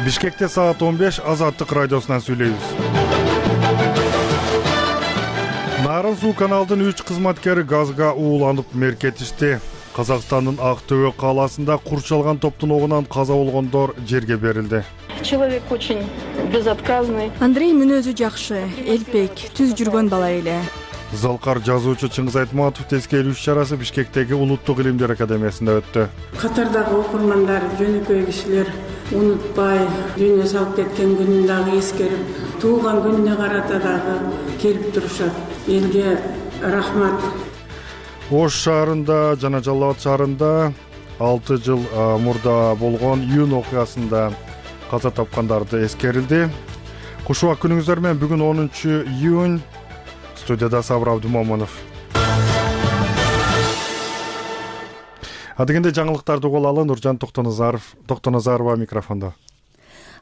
Бишкекте саат 15 Азаттык радиосунан сүйлөйбүз. Нарын суу каналдын 3 кызматкери газга ууланып меркетишти. Казакстандын Актөбө калаасында курчалган топтун огунан каза болгондор жерге берилди. Человек очень безотказный. Андрей мүнөзү жакшы, элпек, түз жүргөн бала эле. Залкар жазуучу Чыңгыз Айтматов тескерүү иш-чарасы Бишкектеги Улуттук илимдер академиясында өттү. Катардагы окурмандар, жөнөкөй кишилер унутпай, дүйнө салып кеткен күнүн дагы эскерип, туулган күнүнө карата дагы келип турушат. Элге рахмат. Ош шаарында жана Жалал Абад шаарында 6 жыл мурда болгон июнь окуясында каза тапкандарды эскерилди. Кушубак күнүңүздөр менен бүгүн 10 июнь. Студияда Сабыр Абдумомунов. Адегенде жаңылыктарды угуп алалы. Нуржан Токтоназарова микрофондо.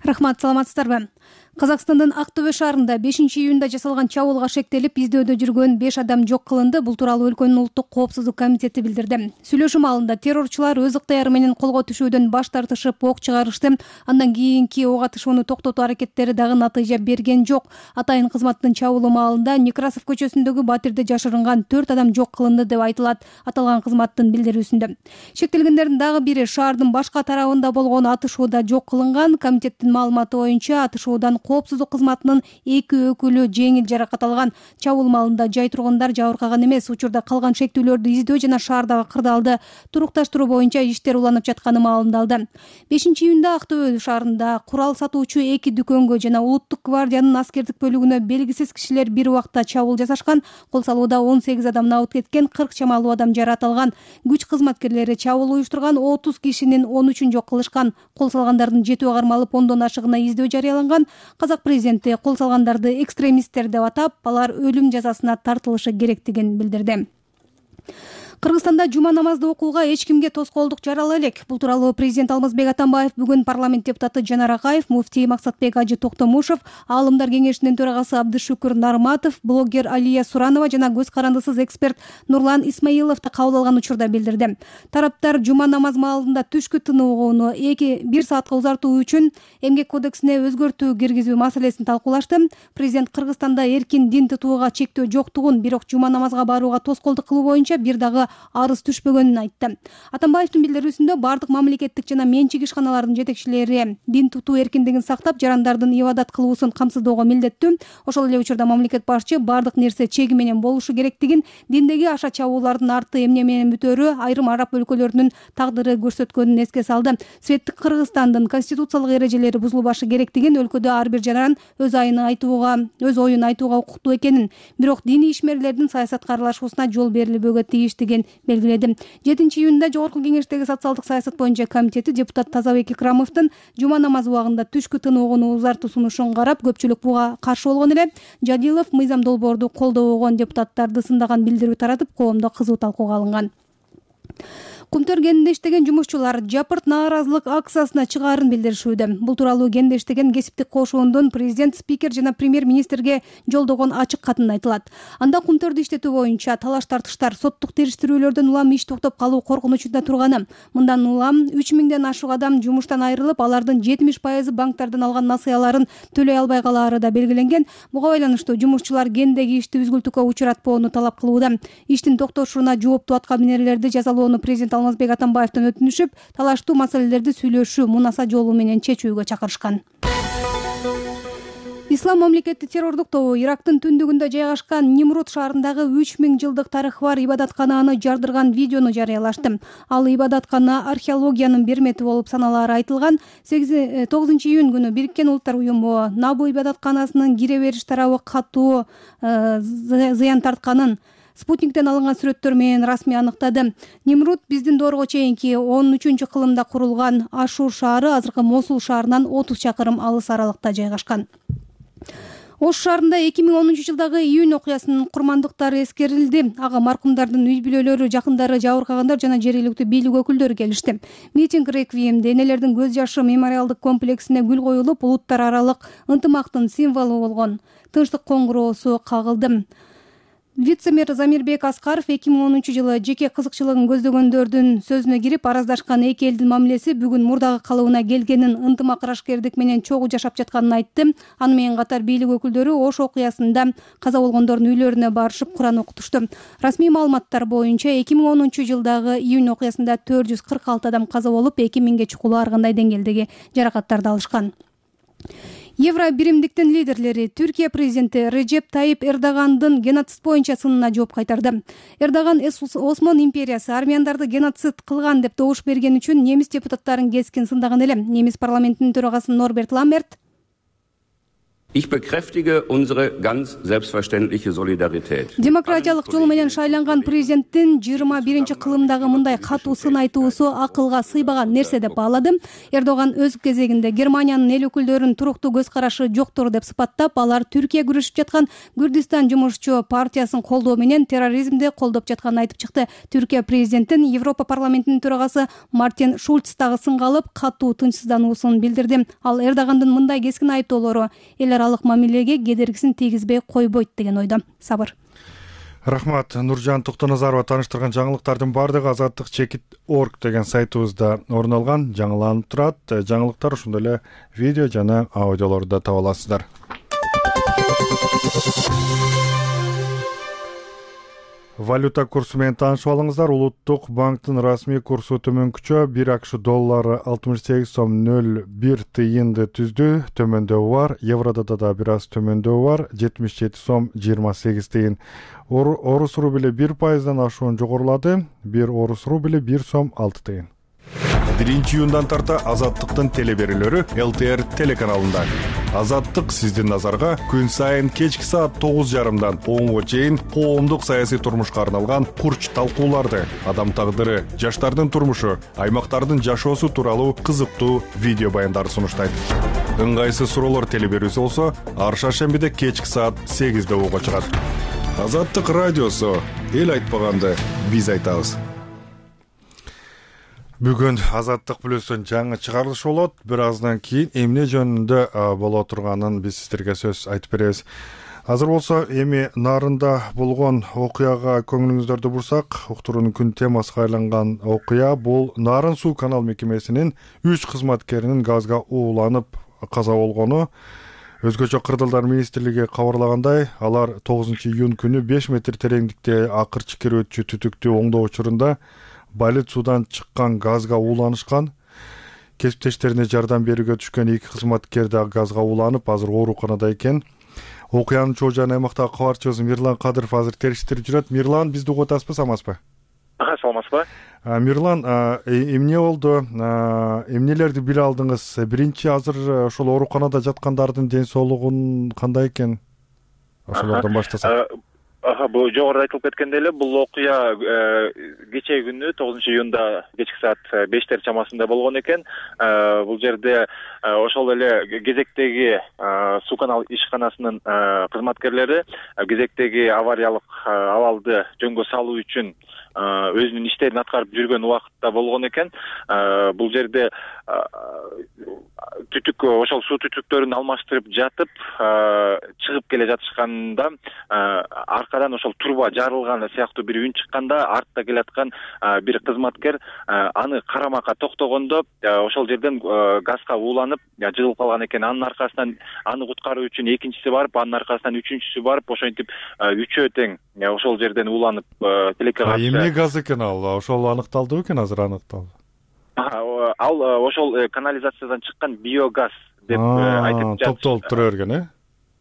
Рахмат, саламатсыздарбы? Казакстандын Актөбө шаарында 5-июнда жасалган чабуулга шектелип, издөөдө жүргөн 5 адам жок кылынды. Бул тууралуу өлкөнүн улуттук коопсуздук комитети билдирди. Сүйлөшүү маалында террорчулар өз ыктыяры менен колго түшүүдөн баш тартышып, ок чыгарышты. Андан кийинки ок атышууну токтотуу аракеттери дагы натыйжа берген жок. Атайын кызматтын чабуулу маалында Некрасов көчөсүндөгү батирде жашырынган 4 адам жок кылынды деп айтылат аталган кызматтын билдирүүсүндө. Шектелгендердин дагы бири шаардын башка тарабында болгон атышууда жок кылынган. Комитеттин маалыматы боюнча атышуудан коопсуздук кызматынын 2 өкүлү жеңил жаракат алган. Чабуул маалында жай тургундар жабыркаган эмес. Учурда калган шектүүлөрдү издөө жана шаардагы кырдаалды турукташтыруу боюнча иштер уланып жатканы маалымдалды. 5-июнда Актөбө шаарында курал сатуучу 2 дүкөнгө жана Улуттук гвардиянын аскердик бөлүгүнө белгисиз кишилер бир убакта чабуул жасашкан. Кол салууда 18 адам абыт кеткен, 40 чамалуу адам жаракат алган. Күч кызматкерлери чабуул уюштурган 30 кишинин 13-ün жок кылышкан. Кол салгандардын жетөө кармалып, 10дон ашыгына издөө жарыяланган. Казак президенти кол салгандарды экстремисттер деп атап, алар өлүм жазасына тартылышы керектигин билдирди. Кыргызстанда жума намазды окууга эч кимге тоскоолдук жарала элек. Бул тууралуу президент Алмазбек Атамбаев бүгүн парламент депутаты Жанар Акаев, муфтий Максатбек Ажы Токтомушев, аалымдар кеңешинин төрагасы Абдышүкүр Нарматов, блогер Алия Суранова жана көз карандысыз эксперт Нурлан Исмаилов кабыл алган учурда билдирди. Тараптар жума намаз маалында түшкү тынууну 1 саатка узартуу үчүн эмгек кодексине өзгөртүү киргизүү маселесин талкуулашты. Президент Кыргызстанда эркин дин тутууга чектөө жоктугун, бирок жума намазга барууга тоскоолдук кылуу боюнча бир дагы арыз түшпөгөнүн айтты. Атамбаевдин билдирүүсүндө бардык мамлекеттик жана менчик ишканалардын жетекчилери дин тутуу эркиндигин сактап, жарандардын ибадат кылуусун камсыздоого милдеттүү. Ошол эле учурда мамлекет башчы бардык нерсе чеги менен болушу керектигин, диндеги аша чабуулардын арты эмне менен бүтөөрү айрым араб өлкөлөрүнүн тагдыры көрсөткөнүн эске салды. Светтик Кыргызстандын конституциялык эрежелери бузулбашы керектигин, өлкөдө ар бир жаран өз оюн айтууга укуктуу экенин, бирок диний ишмерлердин саясатка аралашуусуна жол берилбөөгө тийиштигин белгиледи. 7-июнда Жогорку кеңештеги социалдык саясат боюнча комитети депутат Тазабек Икрамовдун жума намазы убагында түшкү тынууну узартуу сунушун карап, көпчүлүк буга каршы болгон эле. Жадилов мыйзам долбоорду колдобогон депутаттарды сындаган билдирүү таратып, коомдо кызуу талкууга алынган. Кумтөр кенинде иштеген жумушчулар жапырт нааразылык акциясына чыгаарын билдиришүүдө. Бул тууралуу кенде иштеген кесиптик кошуундун президент, спикер жана премьер-министрге жолдогон ачык катында айтылат. Анда кумтөрдү иштетүү боюнча талаш тартыштар, соттук териштирүүлөрдөн улам иш токтоп калуу коркунучунда турганы. Мындан улам 3000ден ашык адам жумуштан айрылып, алардын 70% банктардан алган насыяларын төлөй албай калаары да белгиленген. Буга байланыштуу жумушчулар кендеги ишти үзгүлтүккө учуратпоону талап кылууда. Иштин токтошуна жооптуу аткаминерлерди жазалоону президент Алмазбек Атамбаевден өтүнүшүп, талаштуу маселелерди сүйлөшүү, мунаса жолу менен чечүүгө чакырышкан. Ислам мамлекети террордук тобу Ирактын түндүгүндө жайгашкан Нимрут шаарындагы 3000 жылдык тарыхы бар ибадаткананы жардырган видеону жарыялашты. Ал ибадаткана археологиянын бир мети болуп саналаары айтылган. 9-июнь күнү Бириккен Улуттар уюму Набу ибадатканасынын кире бериш тарабы катуу зыян тартканын спутниктен алынган сүрөттөр менен расмий аныктады. Нимрут биздин доорго чейинки 13-кылымда курулган Ашур шаары азыркы Мосул шаарынан 30 чакырым алыс аралыкта жайгашкан. Ош шаарында 2010-жылдагы июнь окуясынын курмандыктары эскерилди. Ага маркумдардын үй бүлөлөрү, жакындары, жабыркагандар жана жергиликтүү бийлик өкүлдөрү келишти. Митинг реквиемде энелердин көз жашы мемориалдык комплексине гүл коюлуп, улуттар аралык ынтымактын символу болгон тынчтык коңгуроосу кагылды. Вице-мэр Замирбек Аскаров 2010-жылы жеке кызыкчылыгын көздөгөндөрдүн сөзүнө кирип, араздашкан эки элдин мамилеси бүгүн мурдагы калыбына келгенин, ынтымак ырашкердик менен чогуу жашап жатканын айтты. Аны менен катар бийлик өкүлдөрү Ош окуясында каза болгондордун үйлөрүнө барышып Куран окутушту. Расмий маалыматтар боюнча 2010-жылдагы июнь окуясында 446 адам каза болуп, 2000ге чукулуу ар кандай деңгээлдеги жаракаттарды алышкан. Евро биримдиктин лидерлери Түркия президенти Режеп Тайип Эрдогандын геноцид боюнча сынына жооп кайтарды. Эрдоган Осмон империясы армяндарды геноцид кылган деп добуш берген үчүн немис депутаттарын кескин сындаган эле. Немис парламентинин төрагасы Норберт Ламмерт Ich bekräftige unsere ganz selbstverständliche Solidarität. Демократиялык жол менен шайланган президенттин 21-кылымдагы мындай катуу сын айтуусу акылга сыйбаган нерсе деп баалады. Эрдоган өз кезегинде Германиянын эл өкүлдөрүнүн туруктуу көз карашы жоктур деп сыпаттап, алар Түркия күрөшүп жаткан Күрдистан жумушчу партиясын колдоо менен терроризмди колдоп жатканын айтып чыкты. Түркия президентин Европа парламентинин төрагасы Мартин Шульц дагы сынга алып, катуу тынчсыздануусун билдирди. Ал Эрдогандын мындай кескин айыптоолору эл аралык мамилеге кедергисин тийгизбей койбойт деген ойдо. Сабыр. Рахмат. Нуржан Токтоназарова тааныштырган жаңылыктардын баардыгы Азаттык.org деген сайтыбызда орун алган, жаңыланып турат. Жаңылыктар ошондой эле видео жана аудиолорду таба аласыздар. Валюта курсу менен таанышып алыңыздар. Улуттук банктын расмий курсу төмөнкүчө 1 АКШ доллары 68 сом 01 тыйынды түздү. Төмөндөбү бар. Еврода да бир аз төмөндөбү бар. 77 сом 28 тыйын. Орус рубли 1%дан ашуун жогорулады. 1 орус рубли 1 сом 6 тыйын. 1-июндан тарта Азаттыктын телеберүүлөрү ЛТР телеканалында. Азаттык сиздин назарга күн сайын кечки саат 9:30дан 10га чейин коомдук саясий турмушка арналган курч талкууларды, адам тагдыры, жаштардын турмушу, аймактардын жашоосу тууралуу кызыктуу видео баяндарды сунуштайт. Ыңгайсыз суроолор телеберүүсү болсо, ар шаршембиде кечки саат 8:00 уга чыгат. Азаттык радиосу, эл айтпаганды биз айтабыз. Бүгүн Азаттык плюстун жаңы чыгарылышы болот. Бир аздан кийин эмне жөнүндө боло турганын биз сиздерге сөз айтып беребиз. Азыр болсо эми Нарында болгон окуяга көңүлүңүздөрдү бурсак, уктуруунун күн темасына айланган окуя бул Нарын суу канал мекемесинин 3 кызматкеринин газга ууланып каза болгону. Өзгөчө Кырдалдар министрлиги кабарлагандай, алар 9-июнь күнү 5 метр тереңдикте акырчы кирүүчү түтүктү оңдоо учурунда балет судан чыккан газга ууланышкан. Кесиптештерине жардам берүүгө түшкөн 2 кызматкер да газга ууланып, азыр ооруканада экен. Окуянын чоо жан аймактагы кабарчыбыз Мирлан Кадыров азыр териштирип жүрөт. Мирлан, бизди угуп атасызбы, самасызбы? Саламатсызбы? Мирлан, эмне болду? Эмнелерди биле алдыңыз? Биринчи, азыр ошол ооруканада жаткандардын ден соолугун кандай экен? Ошолордон баштасак. Бул жогоруда айтылып кеткендей эле, бул окуя кечээ күнү 9-июнда кечки саат 5 чамасында болгон экен. Бул жерде ошол эле кезектеги суу канал ишканасынын кызматкерлери кезектеги авариялык абалды жөнгө салуу үчүн өзүнүн иштерин аткарып жүргөн убакытта болгон экен. Бул жерде түтүк, ошол суу түтүктөрүн алмаштырып жатып, чыгып келе жатышканда аркадан ошол турба жарылган сыяктуу бир үн чыкканда, артта келаткан бир кызматкер аны карамакка токтогондо ошол жерден газга ууланып жыгылып калган экен. Анын аркасынан аны куткаруу үчүн экинчиси барып, анын аркасынан үчүнчүсү барып, ошентип үчөө тең ошол жерден ууланып тилекке катышты. Эмне газ экен ал? Ошол аныкталдыбы экен? Азыр аныкталды. Ал ошол канализациядан чыккан биогаз деп айтып жатышты. Топтолуп тура берген,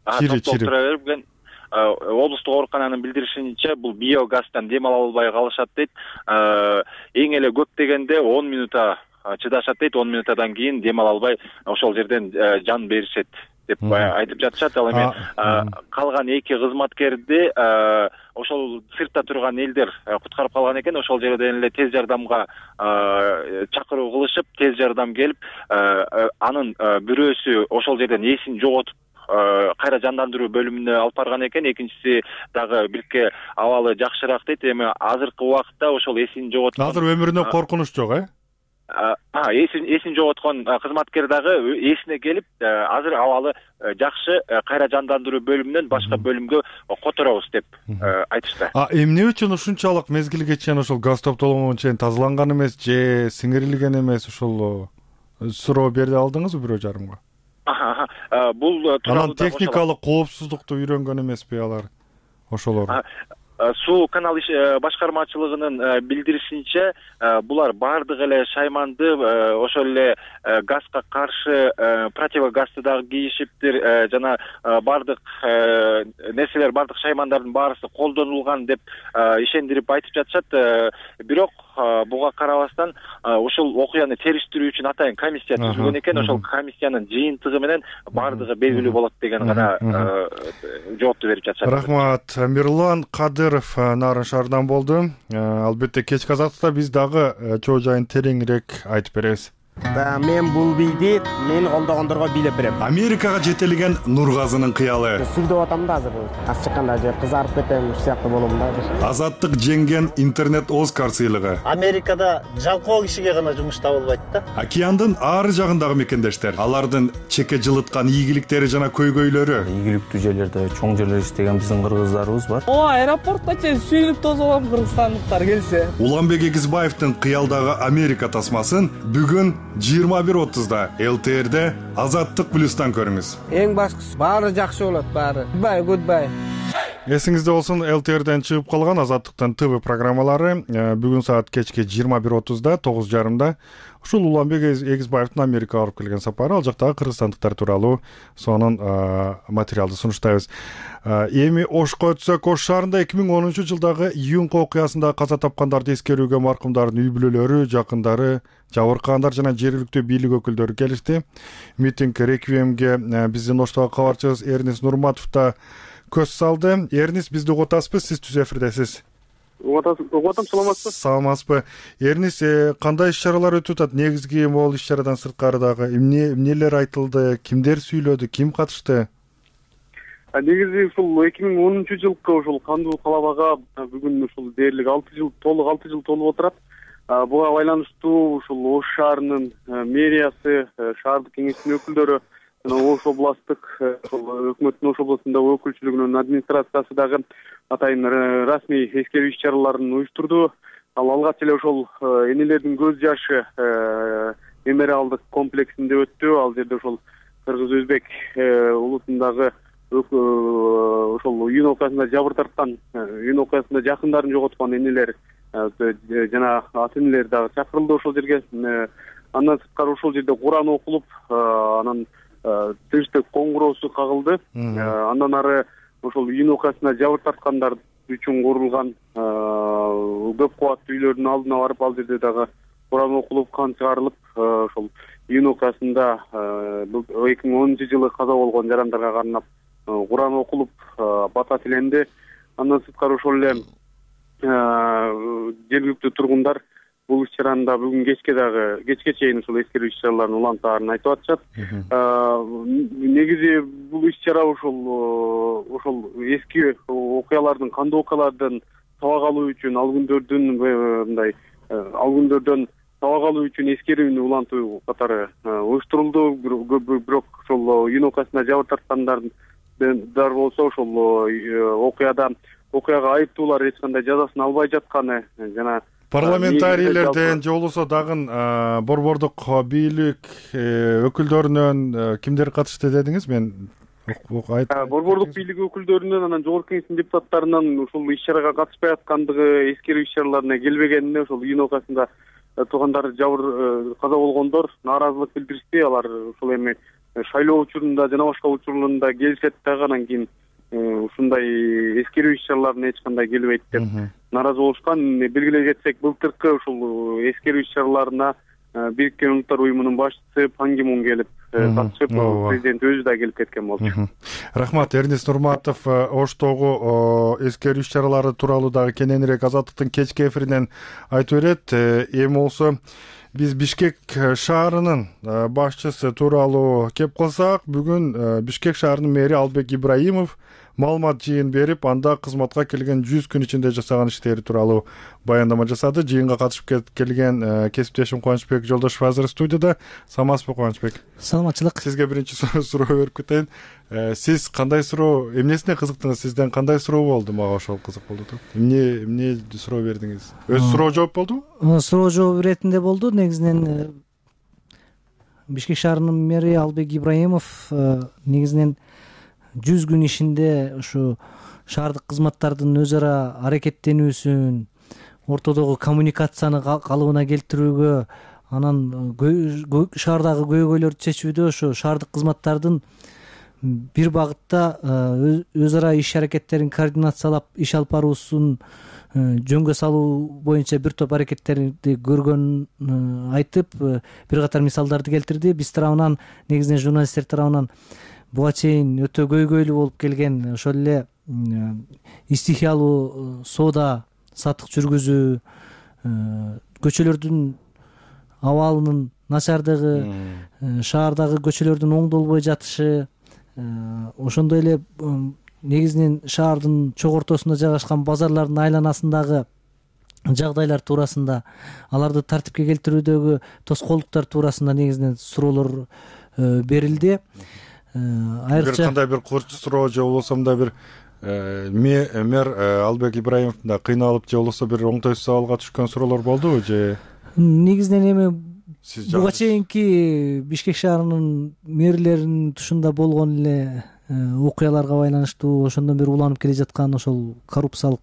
Топтолуп тура берген. Облустук оорукананын билдиришинче, бул биогаздан дем ала албай калышат дейт. Эң эле көп дегенде 10 минута чыдашат дейт. 10 минутадан кийин дем ала албай ошол жерден жан беришет деп айтып жатышат. Ал эми калган 2 кызматкерди ошол сыртта турган элдер куткарып калган экен. Ошол жерден эле тез жардамга чакыруу кылышып, тез жардам келип, анын бирөөсү ошол жерден эсин жоготуп кайра жандандыруу бөлүмүнө алып барган экен. Экинчиси дагы бирке абалы жакшыраак дейт. Эми азыркы убакытта ошол эсин жоготкон, азыр өмүрүнө коркунуч жок, эсин жоготкон кызматкер дагы эсине келип азыр абалы жакшы, кайра жандандыруу бөлүмүнөн башка бөлүмгө которобуз деп айтышты. Эмне үчүн ушунчалык мезгилге чейин ошол газ топтолгонго чейин тазаланган эмес же сиңирилген эмес, ошол суроо бере алдыңызбы бирөө жарымга? Бул анан техникалык коопсуздукту үйрөнгөн эмеспи алар ошолор? Суу канал башкармачылыгынын билдиришинче, булар бардык эле шайманды, ошол эле газга каршы противогазды дагы кийишиптир, жана бардык нерселер, бардык шаймандардын баарысы колдонулган деп ишендирип айтып жатышат. Бирок буга карабастан ушул окуяны териштирүү үчүн атайын комиссия түзүлгөн экен. Ошол комиссиянын жыйынтыгы менен бардыгы белгилүү болот деген гана жоопту берип жатышат. Рахмат. Мирлан Кадыров Нарын шаарынан болду. Албетте кечки азаттыкта биз дагы чоо жайын тереңирээк айтып беребиз. Мен бул бийди мени колдогондорго бийлеп берем. Америкага жетелеген Нургазынын кыялы. Сүлдөп атам да азыр. Аз чыкканда же кызарып кетем, ушу сыяктуу болом да. Азаттык жеңген интернет Оскар сыйлыгы. Америкада жалкоо кишиге гана жумуш табылбайт да. Океандын ары жагындагы мекендештер, алардын чеке жылыткан ийгиликтери жана көйгөйлөрү. Ийгиликтүү жерлерде, чоң жерлер иштеген биздин кыргыздарыбыз бар. Аэропортто чейин сүйүнүп тосолом кыргызстандыктар келсе. Уланбек Эгизбаевдин кыялдагы Америка тасмасын бүгүн 21:30-да ЛТР'де Азаттык плюстан көрүңүз. Эң башкысы баары жакшы болот, баары. Goodbye. Эсиңизде болсун, ЛТР'ден чыгып калган Азаттыктын ТВ программалары бүгүн саат кечки 21:30-да, 9:30-да ушул Уланбек Эгизбаевдин Америкага барып келген сапары, ал жактагы кыргызстандыктар тууралуу сонун материалды сунуштайбыз. Эми Ошко өтсөк, Ош шаарында 2010-жылдагы июнь окуясында каза тапкандарды эскерүүгө маркумдардын үй бүлөлөрү, жакындары, жабыркагандар жана жергиликтүү бийлик өкүлдөрү келишти. Митинг реквиемге биздин Оштогу кабарчыбыз Эрнис Нурматов да көз салды. Эрнис, бизди угутасызбы? Сиз түз эфирдесиз. Угутам, саламатсызбы? Саламатсызбы. Эрнис, кандай иш-чаралар өтүп атат? Негизги могул иш-чарадан сырткары дагы эмнелер айтылды? Кимдер сүйлөдү? Ким катышты? Негизи ушул 2010-жылкы ушул кандуу калабага бүгүн ушул дээрлик 6 жыл толуп отурат. Буга байланыштуу ушул Ош шаарынын мэриясы, шаардык кеңештин өкүлдөрү, жана Ош областтык өкмөттүн Ош областындагы өкүлчүлүгүнүн администрациясы дагы атайын расмий эскерүү иш-чараларын уюштурду. Ал алгач эле ошол энелердин көз жашы мемориалдык комплексинде өттү. Ал жерде ошол кыргыз-өзбек улутундагы ошол июнь окуясында жабыр тарткан, июнь окуясында жакындарын жоготкон энелер жана ата энелер дагы чакырылды ошол жерге. Андан сырткары ошол жерде Куран окулуп, анан тынчтык коңгуроосу кагылды. Андан ары ошол июнь окуясында жабыр тарткандар үчүн курулган көп кубаттуу үйлөрдүн алдына барып, ал жерде дагы Куран окулуп, кан чыгарылып, ошол июнь окуясында 2010-жылы каза болгон жарандарга карнап Куран окулуп, бата тиленди. Андан сырткары ошол эле жергиликтүү тургундар бул иш-чараны бүгүн кечке чейин ушул эскерүү иш-чараларын улантаарын айтып атышат. Негизи бул иш-чара ошол эски окуялардын, кандуу окуялардан сабак алуу үчүн, ал күндөрдөн сабак алуу үчүн эскерүүнү улантуу катары уюштурулду. Бирок ошол июнь окуясында жабыр тарткандар болсо ошол окуяга айыптуулар эч кандай жазасын албай жатканы жана парламентарийлерден же болбосо дагы борбордук бийлик өкүлдөрүнөн кимдер катышты дедиңиз? Мен борбордук бийлик өкүлдөрүнөн, анан жогорку кеңештин депутаттарынан ушул иш-чарага катышпай аткандыгы, эскерүү иш-чараларына келбегенине ошол июнь окуясында туугандар жабыр каза болгондор нааразылык билдиришти. Алар ушул эми шайлоо учурунда жана башка учурларында келишет дагы, анан кийин ушундай эскерүү иш-чараларына эч кандай келбейт деп нааразы болушкан. Белгилей кетсек, былтыркы ушул эскерүү иш-чараларына Бириккен Улуттар уюмунун башчысы Пан Ги Мун келип катышып, президент өзү да келип кеткен болчу. Рахмат. Эрнис Нурматов Оштогу эскерүү иш-чаралары тууралуу дагы кененирээк Азаттыктын кечки эфиринен айтып берет. Эми болсо биз Бишкек шаарынын башчысы тууралуу кеп калсак, бүгүн Бишкек шаарынын мэри Албек Ибраимов маалымат жыйын берип, анда кызматка келген 100 күн ичинде жасаган иштери тууралуу баяндама жасады. Жыйынга катышып келген кесиптешим Кубанычбек Жолдошов азыр студияда. Саламатсызбы Кубанычбек? Саламатчылык. Сизге биринчи суроо берип кетейин. Сиз кандай суроо, эмнесине кызыктыңыз? Сизден кандай суроо болду? Мага ошол кызык болду. Эмне суроо бердиңиз? Өз суроо жооп болдубу? Суроо жооп иретинде болду. Негизинен Бишкек шаарынын мэри Албек Ибраимов негизинен 100 күн ишинде ушу шаардык кызматтардын өз ара аракеттенүүсүн, ортодогу коммуникацияны калыбына келтирүүгө, анан шаардагы көйгөйлөрдү чечүүдө ошо шаардык кызматтардын бир багытта өз ара иш аракеттерин координациялап иш алып баруусун жөнгө салуу боюнча бир топ аракеттерди көргөнүн айтып, бир катар мисалдарды келтирди. Биз тарабынан, негизинен журналисттер тарабынан буга чейин өтө көйгөйлүү болуп келген ошол эле стихиялуу соода сатык жүргүзүү, көчөлөрдүн абалынын начардыгы, шаардагы көчөлөрдүн оңдолбой жатышы, ошондой эле негизинен шаардын чок ортосунда жайгашкан базарлардын айланасындагы жагдайлар туурасында, аларды тартипке келтирүүдөгү тоскоолдуктар туурасында негизинен суроолор берилди. Айрыкча кандай бир курч суроо же болбосо мындай бир мэр Албек Ибраимов да кыйналып же болбосо бир оңтойсуз абалга түшкөн суроолор болдубу же? Негизинен эми буга чейинки Бишкек шаарынын мэрлеринин тушунда болгон эле окуяларга байланыштуу ошондон бери уланып келе жаткан ошол коррупциялык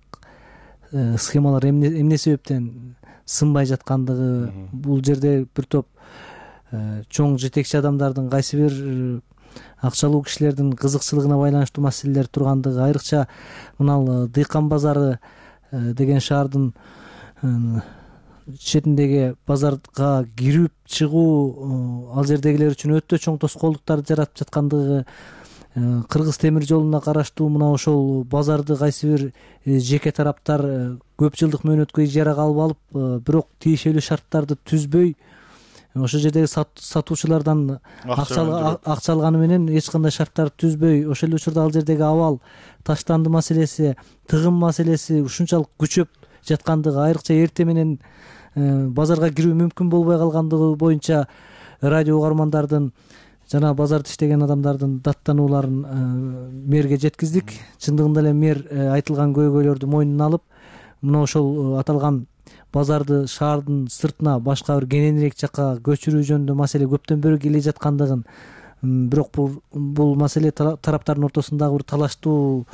схемалар эмне себептен сынбай жаткандыгы, бул жерде бир топ чоң жетекчи адамдардын кайсы бир акчалуу кишилердин кызыкчылыгына байланыштуу маселелер тургандыгы, айрыкча мына Дыйкан базары деген шаардын четиндеги базарга кирип чыгуу ал жердегилер үчүн өтө чоң тоскоолдуктарды жаратып жаткандыгы, Кыргыз темир жолуна караштуу мына ошол базарды кайсы бир жеке тараптар көп жылдык мөөнөткө ижарага алып алып, бирок тиешелүү шарттарды түзбөй, ошол жердеги сатуучулардан акча алганы менен эч кандай шарттарды түзбөй, ошол эле учурда ал жердеги абал, таштанды маселеси, тыгын маселеси ушунчалык күчөп жаткандыгы, айрыкча эртең менен базарга кирүү мүмкүн болбой калгандыгы боюнча радио угармандардын жана базарда иштеген адамдардын даттанууларын мэрге жеткиздик. Чындыгында эле мэр айтылган көйгөйлөрдү мойнуна алып, мына ошол аталган базарды шаардын сыртына башка бир кененирээк жакка көчүрүү жөнүндө маселе көптөн бери келе жаткандыгын, бирок бул маселе тараптардын ортосундагы бир талаштуу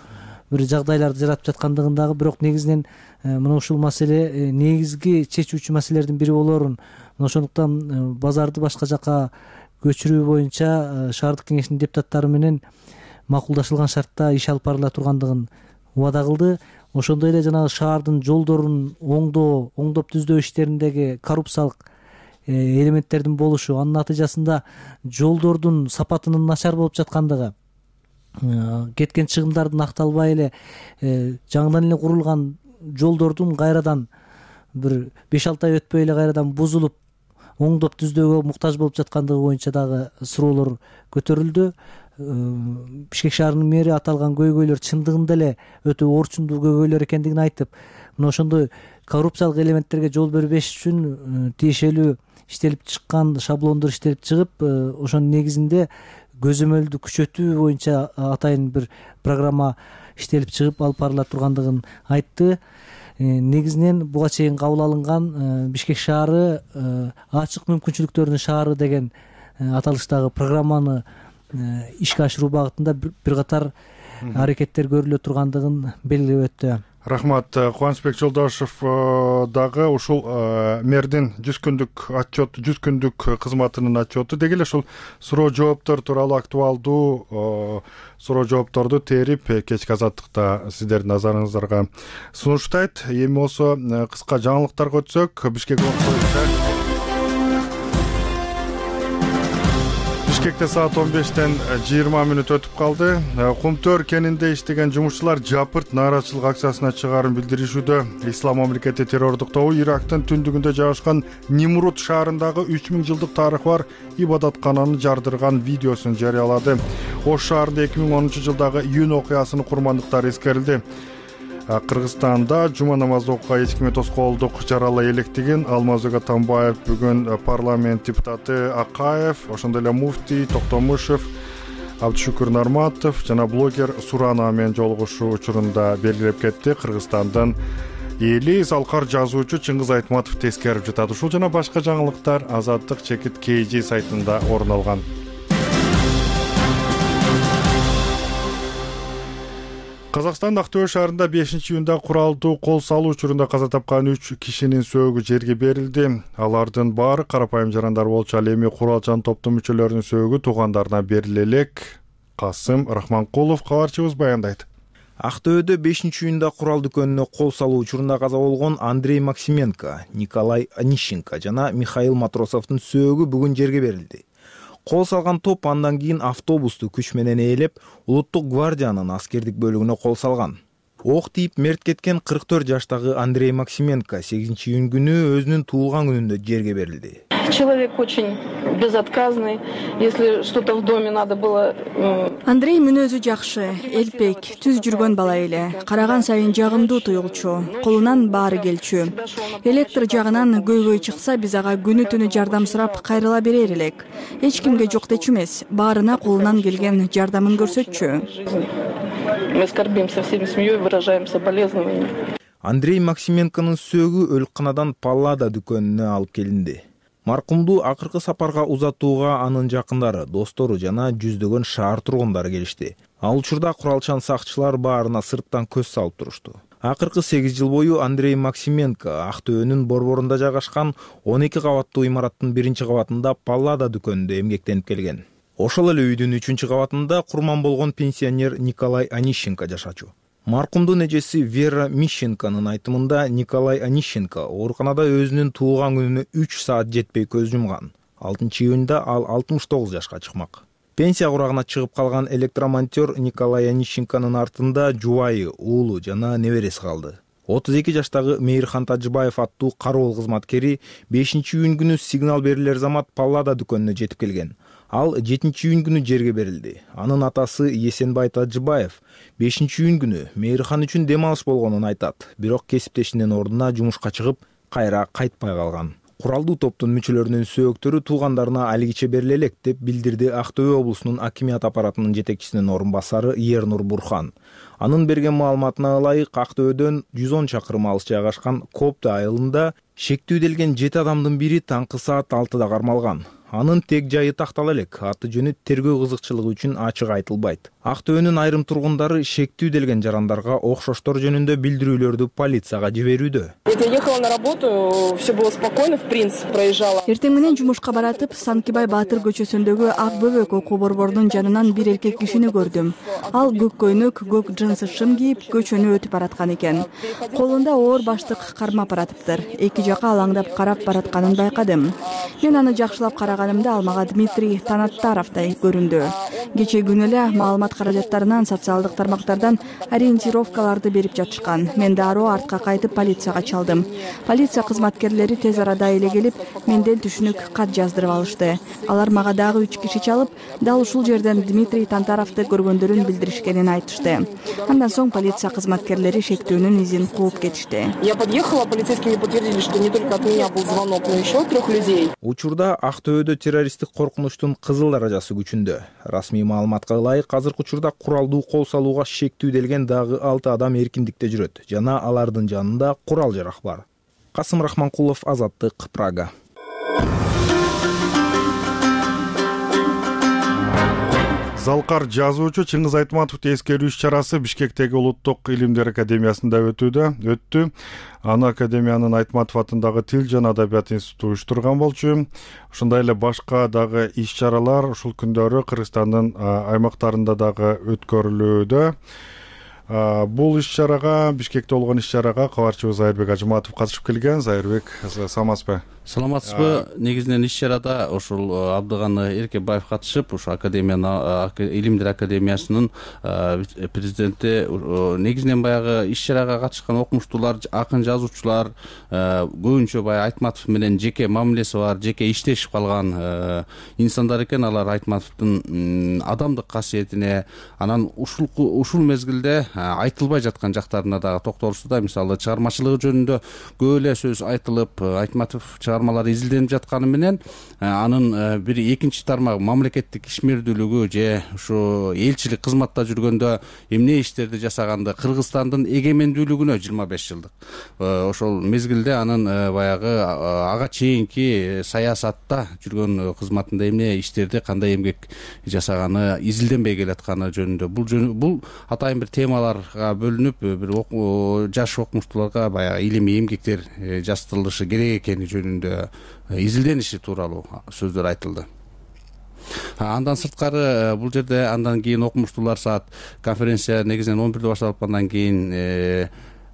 бир жагдайларды жаратып жаткандыгын дагы, бирок негизинен мына ушул маселе негизги чечүүчү маселелердин бири болоорун, ошондуктан базарды башка жакка көчүрүү боюнча шаардык кеңештин депутаттары менен макулдашылган шартта иш алып барыла тургандыгын убада кылды. Ошондой эле жанагы шаардын жолдорун оңдоп түздөө иштериндеги коррупциялык элементтердин болушу, анын натыйжасында жолдордун сапатынын начар болуп жаткандыгы, кеткен чыгымдардын акталбай эле жаңыдан эле курулган жолдордун кайрадан бир 5-6 ай өтпөй эле кайрадан бузулуп оңдоп түздөөгө муктаж болуп жаткандыгы боюнча дагы суроолор көтөрүлдү. Бишкек шаарынын мэри аталган көйгөйлөр чындыгында эле өтө орчундуу көйгөйлөр экендигин айтып, мына ошондой коррупциялык элементтерге жол бербеш үчүн тиешелүү иштелип чыккан шаблондор иштелип чыгып, ошонун негизинде көзөмөлдү күчөтүү боюнча атайын бир программа иштелип чыгып алып барыла тургандыгын айтты. Негизинен буга чейин кабыл алынган Бишкек шаары ачык мүмкүнчүлүктөрдүн шаары деген аталыштагы программаны ишке ашыруу багытында бир катар аракеттер көрүлө тургандыгын белгилеп өттү. Рахмат. Кубанычбек Жолдошов дагы ушул мэрдин 100 күндүк отчет, 100 күндүк кызматынын отчету деги эле ушул суроо жооптор тууралуу актуалдуу суроо жоопторду терип кечки азаттыкта сиздердин назарыңыздарга сунуштайт. Эми болсо кыска жаңылыктарга өтсөк, Бишкек Бишкекте саат 15-тен 20 мүнөт өтүп калды. Кумтөр кенинде иштеген жумушчулар жапырт нааразычылык акциясына чыгаарын билдиришүүдө. Ислам мамлекети террордук тобу Ирактын түндүгүндө жайгашкан Нимрут шаарындагы 3000 жылдык тарыхы бар ибадаткананы жардырган видеосун жарыялады. Ош шаарында 2010-жылдагы июнь окуясынын курмандыктары эскерилди. Кыргызстанда жума намазды окууга эч кимге тоскоолдук жаралай электигин Алмазбек Атамбаев бүгүн парламент депутаты Акаев, ошондой эле муфтий Токтомушев, Абдышүкүр Нарматов жана блогер Сурана менен жолугушуу учурунда белгилеп кетти. Кыргызстандын эли залкар жазуучу Чыңгыз Айтматов тескерип жатат. Ушул жана башка жаңылыктар Азаттык чекит KG сайтында орун алган. Казакстан Актөбө шаарында 5-июнда куралдуу кол салуу учурунда каза тапкан 3 кишинин сөөгү жерге берилди. Алардын баары карапайым жарандар болчу. Ал эми куралчан топтун мүчөлөрүнүн сөөгү туугандарына бериле элек. Касым Рахманкулов кабарчыбыз баяндайт. Актөбөдө 5-июнда курал дүкөнүнө кол салуу учурунда каза болгон Андрей Максименко, Николай Онищенко жана Михаил Матросовдун сөөгү бүгүн жерге берилди. Кол салган топ андан кийин автобусту күч менен ээлеп, Улуттук гвардиянын аскердик бөлүгүнө кол салган. Ок тип мерт кеткен 44 жаштагы Андрей Максименко 8-июнь күнү өзүнүн туулган күнүндө жерге берилди. Человек очень безотказный. Если что-то в доме надо было... Андрей мүнөзү жакшы, элпек, түз жүргөн бала эле. Караган сайын жагымдуу туюлчу, колунан баары келчү. Электр жагынан көйгөй чыкса, биз ага күнү түнү жардам сурап кайрыла берер элек. Эч кимге жок дечү эмес, баарына колунан келген жардамын көрсөтчү. Мы скорбим со всеми семьей, выражаем соболезнования. Андрей Максименконун сөөгү өлканадан Паллада дүкөнүнө алып келинди. Маркумду акыркы сапарга узатууга анын жакындары, достору жана жүздөгөн шаар тургундары келишти. Ал учурда куралчан сакчылар баарына сырттан көз салып турушту. Акыркы 8 жыл бою Андрей Максименко Актөбөнүн борборунда жайгашкан 12 кабаттуу имараттын 1-кабатында Паллада дүкөнүндө эмгектенип келген. Ошол эле үйдүн 3-кабатында курман болгон пенсионер Николай Онищенко жашачу. Маркумдун эжеси Вера Мищенконун айтымында Николай Онищенко ооруканада өзүнүн туулган күнүнө 3 саат жетпей көз жумган. 6-июнда ал 69 жашка чыкмак. Пенсия курагына чыгып калган электромонтер Николай Онищенконун артында жубайы, уулу жана небереси калды. 32 жаштагы Мейирхан Тажыбаев аттуу кароол кызматкери 5-июнь күнү сигнал берилер замат Паллада дүкөнүнө жетип келген. Ал 7-июнь күнү жерге берилди. Анын атасы Есенбай Тажыбаев 5-июнь күнү Мейирхан үчүн дем алыш болгонун айтат. Бирок кесиптешинин ордуна жумушка чыгып, кайра кайтпай калган. Куралдуу топтун мүчөлөрүнүн сөөктөрү туугандарына алигиче бериле элек деп билдирди Актөбө облусунун акимият аппаратынын жетекчисинин орун басары Ернур Бурхан. Анын берген маалыматына ылайык Актөбөдөн 110 чакырым алыс жайгашкан Копты айылында шектүүделген 7 адамдын бири таңкы саат 6-да кармалган. Анын тег жайы тактала элек, аты жөнү тергөө кызыкчылыгы үчүн ачык айтылбайт. Актөбөнүн айрым тургундары шектүүделген жарандарга окшоштор жөнүндө билдирүүлөрдү полицияга жиберүүдө. Я ехала на работу, все было спокойно, в принципе, проезжала. Эртең менен жумушка баратып, Санкибай Баатыр көчөсүндөгү Ак Бөбөк окуу борборунун жанынан бир эркек кишини көрдүм. Ал көк көйнөк, көк джинсы шым кийип, көчөнү өтүп бараткан экен. Колунда оор баштык кармап баратыптыр. Эки жака алаңдап карап баратканын байкадым. Мен аны жакшылап караганымда ал мага Дмитрий Танаттаровдай көрүндү. Кечээ күнү эле маалымат каражаттарынан социалдык тармактардан ориентировкаларды берип жатышкан. Мен дароо артка кайтып полицияга чалдым. Полиция кызматкерлери тез арада эле келип, менден түшүнүк кат жаздырып алышты. Алар мага дагы 3 киши чалып, дал ушул жерден Дмитрий Танtarovду көргөндөрүн билдиришкенин айтышты. Андан соң полиция кызматкерлери шектүүнүн изин кууп кетишти. Я подъехала, полицейские мне подтвердили, что не только от меня был звонок, но еще 3 людей. Учурда Актөбөдө террористтик коркунучтун кызыл даражасы күчүндө. Расмий маалыматка ылайык азыркы учурда куралдуу кол салууга шектүүделген дагы 6 адам эркиндикте жүрөт жана алардын жанында курал-жарак бар. Касым Рахманкулов, Азаттык, Прага. Залкар жазуучу Чыңгыз Айтматовду эскерүү иш-чарасы Бишкектеги Улуттук илимдер академиясында өттү. Аны академиянын Айтматов атындагы Тил жана Адабият институту уюштурган болчу. Ошондой эле башка дагы иш-чаралар ушул күндөрү Кыргызстандын аймактарында дагы өткөрүлүүдө. Бул иш-чарага, Бишкекте болгон иш-чарага кабарчыбыз Зайырбек Ажыматов катышып келген. Зайырбек, саламатсызбы? Саламатсызбы? Негизинен иш чарада ушул Абдыганы Эркебаев катышып, ушу академиянын Илимдер академиясынын президенти негизинен баягы иш чарага катышкан окумуштуулар, акын жазуучулар көбүнчө баягы Айтматов менен жеке мамилеси бар, жеке иштешип калган инсандар экен. Алар Айтматовдун адамдык касиетине, анан ушул мезгилде айтылбай жаткан жактарына дагы токтолушту. Мисалы чыгармачылыгы жөнүндө көп эле сөз айтылып, Айтматов чыгармалары изилденип жатканы менен анын бир экинчи тармак мамлекеттик ишмердүүлүгү же ушу элчилик кызматта жүргөндө эмне иштерди жасаганды, Кыргызстандын эгемендүүлүгүнө 25 жылдык ошол мезгилде анын баягы ага чейинки саясатта жүргөн кызматында эмне иштерди, кандай эмгек жасаганы изилденбей келатканы жөнүндө бул атайын бир темаларга бөлүнүп, бир жаш окумуштууларга баягы илимий эмгектер жаздырылышы керек экени жөнүндө изилдениши тууралуу сөздөр айтылды. Андан сырткары бул жерде андан кийин окумуштуулар саат конференция негизинен 11-де башталып, андан кийин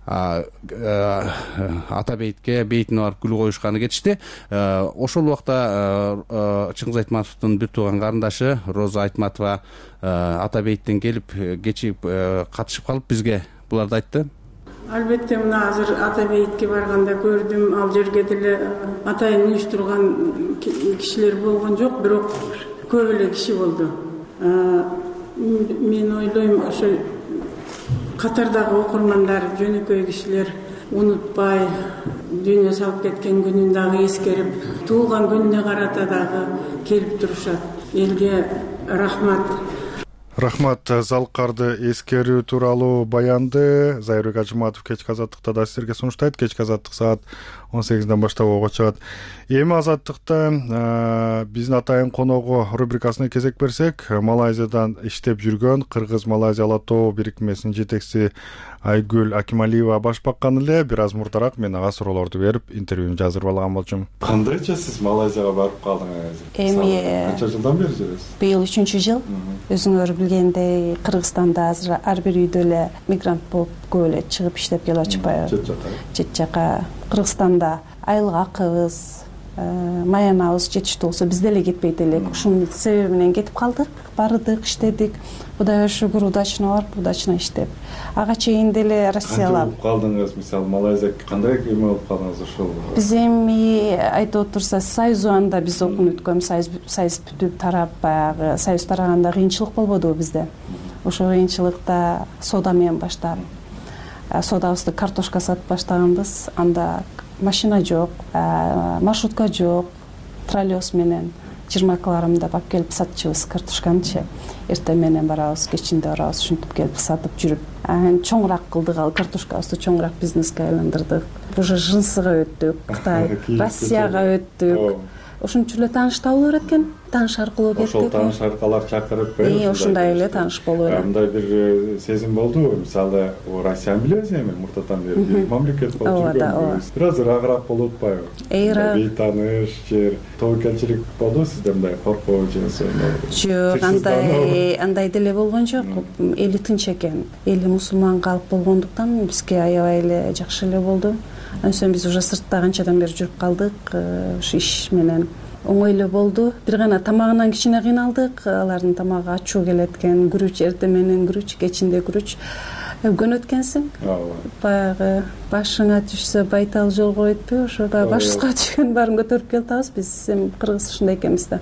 ата бейитке бейтине барып гүл коюшканы кетишти. Ошол убакта Чыңгыз Айтматовдун бир тууган карындашы Роза Айтматова ата бейиттен келип кечип катышып калып бизге буларды айтты. Албетте, мына азыр ата бейитке барганда көрдүм, ал жерге деле атайын уюштурган кишилер болгон жок, бирок көп эле киши болду. Мен ойлойм, ошо катардагы окурмандар, жөнөкөй кишилер унутпай, дүйнө салып кеткен күнүн дагы эскерип, туулган күнүнө карата дагы келип турушат. Элге рахмат. Рахмат. Залкарды эскерүү тууралуу баянды Зайырбек Ажыматов кечки азаттыкта да сиздерге сунуштайт. Кечки азаттык саат 18-ден баштап ого чыгат. Эми азаттыкта биздин атайын коногу рубрикасына кезек берсек, Малайзиядан иштеп жүргөн Кыргыз-Малайзия ала тоо бирикмесинин жетекчиси Айгүл Акималиева баш баккан эле. Бир аз мурдараак мен ага суроолорду берип, интервьюну жаздырып алган болчумун. Кандайча сиз Малайзияга барып калдыңыз? Эми канча жылдан бери жүрөсүз? Быйыл 3-жыл. Өзүңөр билгендей, Кыргызстанда азыр ар бир үйдө эле мигрант болуп көп эле чыгып иштеп келип атышпайбы? Чет жака. Кыргызстанда айлык акыбыз, маянабыз жетиштүү болсо биз деле кетпейт элек. Ушунун себеби менен кетип калдык, бардык, иштедик. Кудайга шүгүр, удачно барып, удачно иштеп. Ага чейин деле Россиялап калдыңыз. Мисалы Малайзия кандай эме болуп калдыңыз ошол? Биз эми айтып отурса, Союз убагында биз окууну өткөн, Союз бүтүп тарап, баягы Союз тараганда кыйынчылык болбодубу бизде? Ошол кыйынчылыкта соода менен баштап, соодабызды картошка сатып баштаганбыз. Анда машина жок, маршрутка жок, троллейбус менен 20 алып келип сатчубуз картошканычы. Эртең менен барабыз, кечинде барабыз, ушинтип келип сатып жүрүп, чоңураак кылдык, ал картошкабызды чоңураак бизнеске айландырдык. Уже Жынсыга өттүк, Кытай, Россияга өттүк. Ошончо эле тааныш табылып берет экен. Тааныш аркылуу кеттик. Ошол тааныш аркылуу чакырып, ошондой эле тааныш болуп эле. Мындай бир сезим болдубу? Мисалы, Россияны билебиз эми, муртатан бери мамлекет болуп жүргөнбүз. Бир аз ыраагыраак болуп атпайбы? Бейтааныш, жер, тобокелчилик болду сизде мындай коркуу же жок, андай деле болгон жок. Эли тынч экен. Эли мусулман калып болгондуктан бизге аябай эле жакшы эле болду. Анан биз уже сыртта канчадан бери жүрүп калдык, ушу иш менен оңой эле болду. Бир гана тамагынан кичине кыйналдык. Алардын тамагы ачуу келет экен. Күрүч, эртең менен күрүч, кечинде күрүч. Көнөт экенсиң. Баягы башыңа түшсө байтал жолго өтпөй, ошо баягы башыбызга түшкөн баарын көтөрүп келатабыз. Биз эми кыргыз ушундай экенбиз да.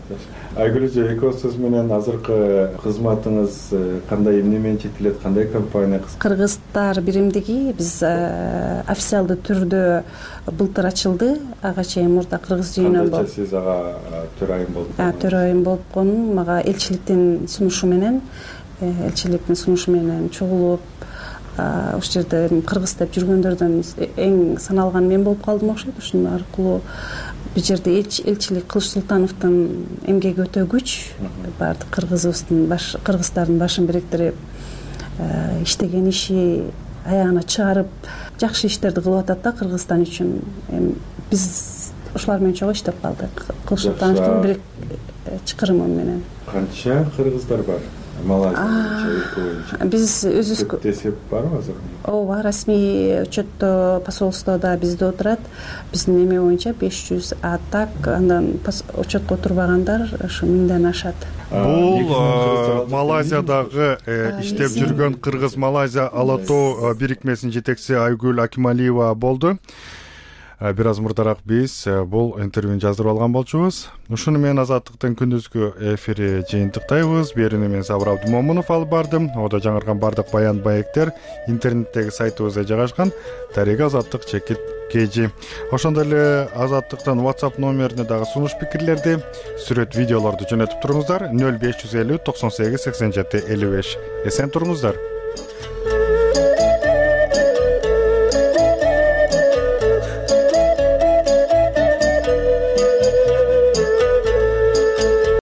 Айгүл эже, экөөсүз менен азыркы кызматыңыз кандай, эмне менен чектелет, кандай компания? Кыргыздар биримдиги биз официалдуу түрдө былтыр ачылды. Ага чейин мурда Кыргыз үйүнөн болуп. Кандайча сиз ага төрайым болуп? Төрайым болуп конум, мага элчиликтин сунушу менен чогулуп, ошол жерде кыргыз деп жүргөндөрдөн эң саналган мен болуп калдым окшойт. Ушун аркылуу бул жерде элчилик Кылыч Султановдун эмгеги өтө күч. Баардык кыргыздардын башын бириктирип, иштеген иши аягына чыгарып, жакшы иштерди кылып атат да Кыргызстан үчүн. Биз ошолар менен чогуу иштеп калдык. Кылыч Султановдун бир чакырымы менен. Канча кыргыздар бар Малайзия боюнча биз өзүбүз көп эсеп барбы азыр? ооба, расмий отчетто посольстводо бизде отурат. Биздин эме боюнча 500, а так андан отчетко отурбагандар ушу 1000ден ашат. Бул Малайзиядагы иштеп жүргөн Кыргыз Малайзия ала тоо бирикмесинин жетекчиси Айгүл Акималиева болду. Бир аз мурдараак биз бул интервьюну жаздырып алган болчубуз. Ушуну менен Азаттыктын күндүзгү эфири жыйынтыктайбыз. Берүүнү мен Сабыр Абдымомунов алып бардым. Ода жаңырган бардык баян маектер интернеттеги сайтыбызда жайгашкан. Дареги Азаттык чекит kg. Ошондой эле Азаттыктан WhatsApp номерине дагы сунуш пикирлерди, сүрөт видеолорду жөнөтүп туруңуздар. 0550 98 87 55. Эсен туруңуздар.